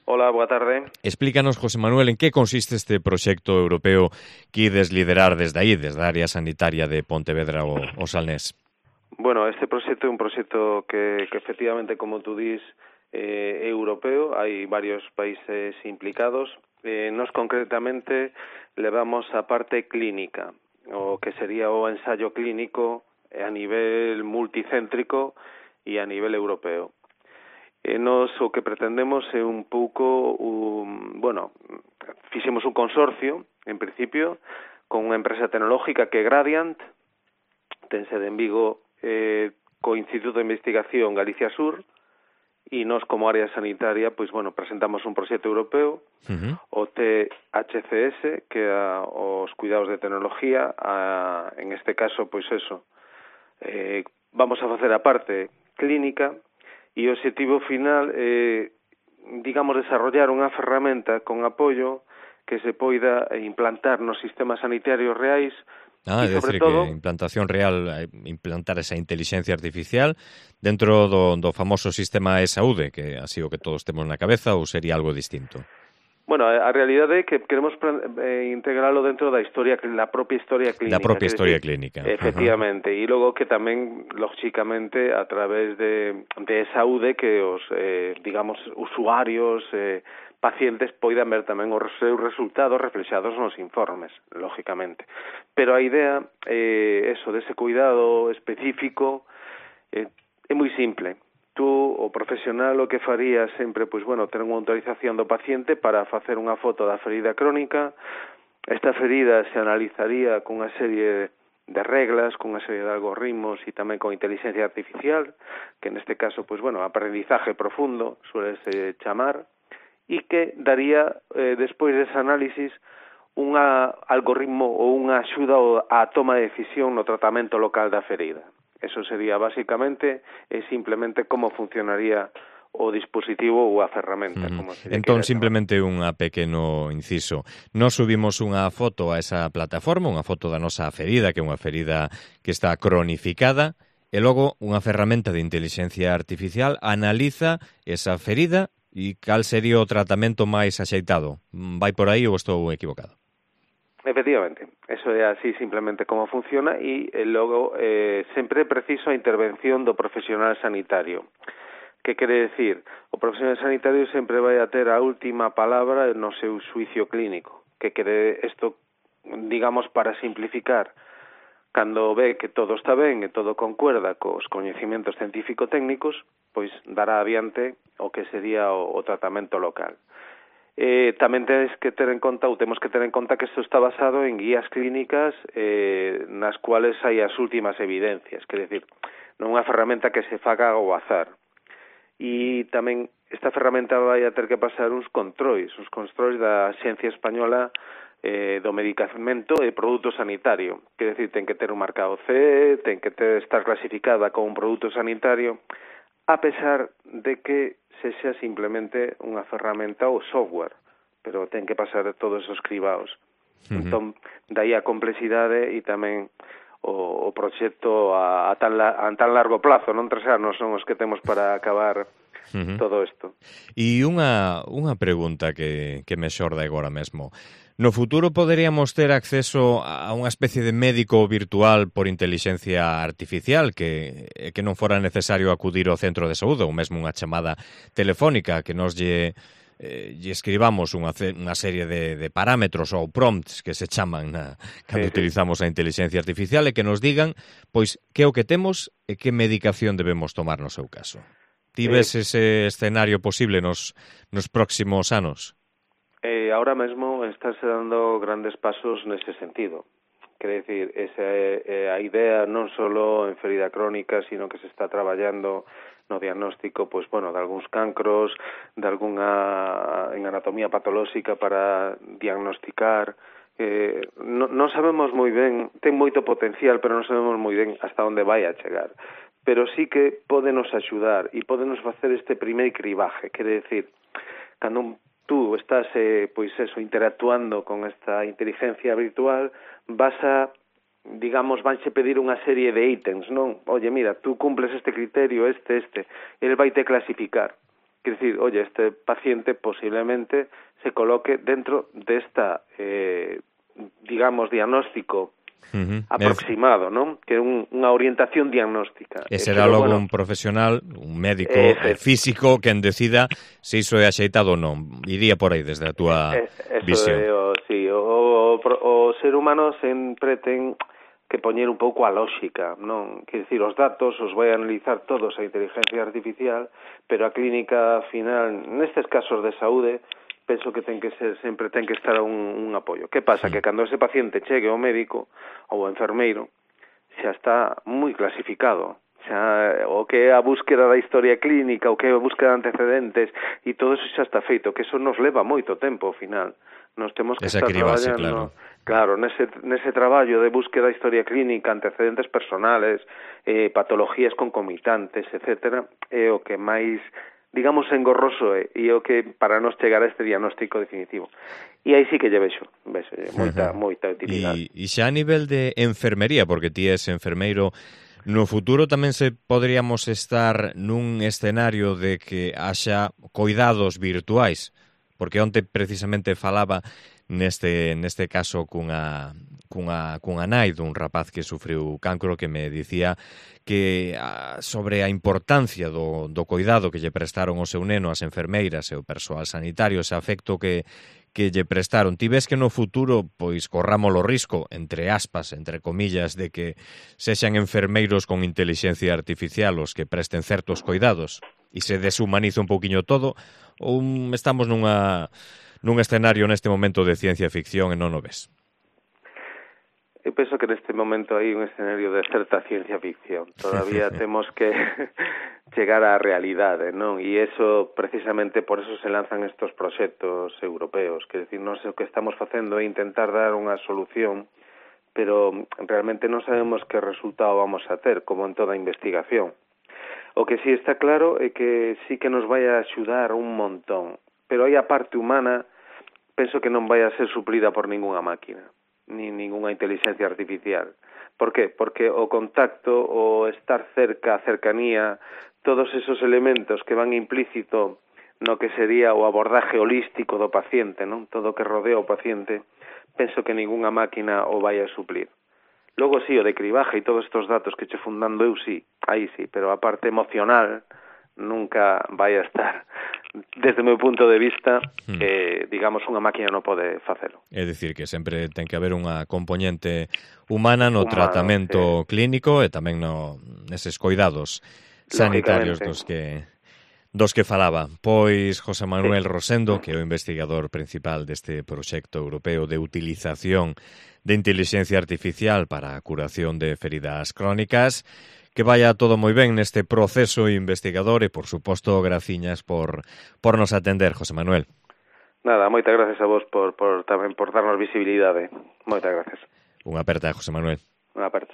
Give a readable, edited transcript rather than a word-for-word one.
Hola, boa tarde. Explícanos, José Manuel, en que consiste este proxecto europeo que ides liderar desde aí, desde a área sanitaria de Pontevedra o Salnés. Bueno, este proxecto é un proxecto que efectivamente, como tú dís, é europeo. Hai varios países implicados. Nos concretamente levamos a parte clínica, o que sería o ensayo clínico a nivel multicéntrico e a nivel europeo. Nos o que pretendemos é un pouco, fixemos un consorcio, en principio, con unha empresa tecnológica que é Gradiant, ten sede en Vigo, co Instituto de Investigación Galicia Sur, e nós como área sanitaria, presentamos un proxecto europeo, o THCS, que é os cuidados de tecnología, en este caso, vamos a facer a parte clínica, e o objetivo final é, desarrollar unha ferramenta con apoio que se poida implantar nos sistemas sanitarios reais. É dicir, que implantación real, implantar esa inteligencia artificial dentro do famoso sistema de saúde, que así o que todos temos na cabeza, ou sería algo distinto? Bueno, a realidade é que queremos integralo dentro da propia historia clínica. Da propia historia clínica. Efectivamente, e logo que tamén, lógicamente, a través de saúde, que os, usuarios, pacientes poidan ver tamén os seus resultados reflexados nos informes, lógicamente. Pero a idea, dese cuidado específico, é moi simple. Tú, o profesional, o que faría sempre, ter unha autorización do paciente para facer unha foto da ferida crónica. Esta ferida se analizaría con unha serie de reglas, con unha serie de algoritmos e tamén con inteligencia artificial, que neste caso, aprendizaje profundo, suele chamar, e que daría, despois dese análisis, un algoritmo ou unha axuda á toma de decisión no tratamento local da ferida. Eso sería basicamente e simplemente como funcionaría o dispositivo ou a ferramenta. Entón, simplemente unha pequeno inciso. Nos subimos unha foto a esa plataforma, unha foto da nosa ferida, que é unha ferida que está cronificada, e logo unha ferramenta de inteligencia artificial analiza esa ferida e cal sería o tratamento máis axeitado. Vai por aí ou estou equivocado? Efectivamente, eso é así simplemente como funciona e logo sempre é preciso a intervención do profesional sanitario. Que quere decir? O profesional sanitario sempre vai a ter a última palabra no seu xuicio clínico. Que quere isto, para simplificar, cando ve que todo está ben e todo concuerda cos coñecimentos científico-técnicos, pois dará adiante o que sería o tratamento local. Tamén temos que ter en conta que isto está basado en guías clínicas nas cuales hai as últimas evidencias, quer decir, non unha ferramenta que se faga ao azar. E tamén esta ferramenta vai a ter que pasar uns controis da Xencia Española do Medicamento e Produto Sanitario, quer decir, ten que ter un marcado CE, ten que estar clasificada como un produto sanitario, a pesar de que sexa simplemente unha ferramenta ou software, pero ten que pasar todos esos cribados. Entón, daí a complexidade e tamén o proxecto a tan largo plazo, non 3 anos son os que temos para acabar todo isto. E unha pregunta que me xorda agora mesmo. No futuro poderíamos ter acceso a unha especie de médico virtual por inteligencia artificial que non fora necesario acudir ao centro de saúde ou mesmo unha chamada telefónica que nos lle escribamos unha serie de parámetros ou prompts que se chaman cando utilizamos a inteligencia artificial e que nos digan pois que é o que temos e que medicación debemos tomar no seu caso. Ti ves ese escenario posible nos próximos anos? Ahora mesmo estáse dando grandes pasos nese sentido. Quer decir, esa é a idea non só en ferida crónica, sino que se está traballando no diagnóstico, de algúns cancros, de algunha en anatomía patolóxica para diagnosticar. Non sabemos moi ben, ten moito potencial, pero non sabemos moi ben hasta onde vai a chegar. Pero sí que pódenos axudar e pódenos facer este primeiro cribaje, quer decir, cando tú estás interactuando con esta inteligencia virtual, vanse pedir unha serie de ítems, non? Oye, mira, tú cumples este criterio, este. El vai te clasificar. Quiere decir, oye, este paciente posiblemente se coloque dentro de esta, digamos, diagnóstico aproximado, ¿no? Que é unha orientación diagnóstica. E será logo un profesional, un médico físico, quen decida se iso é axeitado ou non. Iría por aí desde a túa visión. O ser humano sempre ten que poñer un pouco a lóxica, non? Quer dicir, os datos os vai analizar todos a inteligencia artificial, pero a clínica final, nestes casos de saúde, penso que ten que ser, sempre ten que estar un apoio. Que pasa? Que cando ese paciente chegue ao médico ou ao enfermeiro, xa está moi clasificado. Xa, o que é a búsqueda da historia clínica, o que é a búsqueda de antecedentes, e todo eso xa está feito, que eso nos leva moito tempo ao final. Nos temos que estar traballando, claro, nese traballo de búsqueda da historia clínica, antecedentes personales, patologías concomitantes, etcétera, é o que máis, digamos, engorroso e o que para nos chegar a este diagnóstico definitivo. E aí sí que lle vexo moita utilidade. E xa a nivel de enfermería, porque ti és enfermeiro, no futuro tamén se poderíamos estar nun escenario de que haxa coidados virtuais, porque onte precisamente falaba neste caso cunha nai dun rapaz que sufriu cancro que me dicía que sobre a importancia do coidado que lle prestaron ao seu neno as enfermeiras e o persoal sanitario, ese afecto que lle prestaron. Ti ves que no futuro pois corramos o risco, entre aspas, entre comillas, de que sexan enfermeiros con inteligencia artificial os que presten certos coidados e se deshumaniza un pouquiño todo, ou estamos nun escenario neste momento de ciencia ficción e non o ves? Eu penso que neste momento hai un escenario de certa ciencia ficción. Todavía temos que chegar á realidade, non? E eso, precisamente, por eso se lanzan estos proxectos europeos. Quer decir, non sei o que estamos facendo é intentar dar unha solución, pero realmente non sabemos que resultado vamos a ter, como en toda investigación. O que sí está claro é que sí que nos vai a axudar un montón, pero aí a parte humana penso que non vai a ser suplida por ningunha máquina, ni ninguna inteligencia artificial. Por qué? Porque o contacto, o estar cerca, a cercanía, todos esos elementos que van implícito no que sería o abordaje holístico do paciente, non? Todo o que rodea o paciente, penso que ningunha máquina o vai a suplir. Logo sí, o de cribaje e todos estos datos que che fundando eu sí, aí sí, pero a parte emocional nunca vai a estar. Desde o meu punto de vista, digamos, unha máquina non pode facelo. É dicir, que sempre ten que haber unha componente humana no tratamento clínico e tamén neses coidados sanitarios dos que falaba. Pois José Manuel Rosendo, que é o investigador principal deste proxecto europeo de utilización de inteligencia artificial para a curación de feridas crónicas. Que vaya todo moi ben neste proceso investigador e, por suposto, graciñas por nos atender, José Manuel. Nada, moitas gracias a vos tamén por darnos visibilidade. Moitas gracias. Unha aperta, José Manuel. Unha aperta.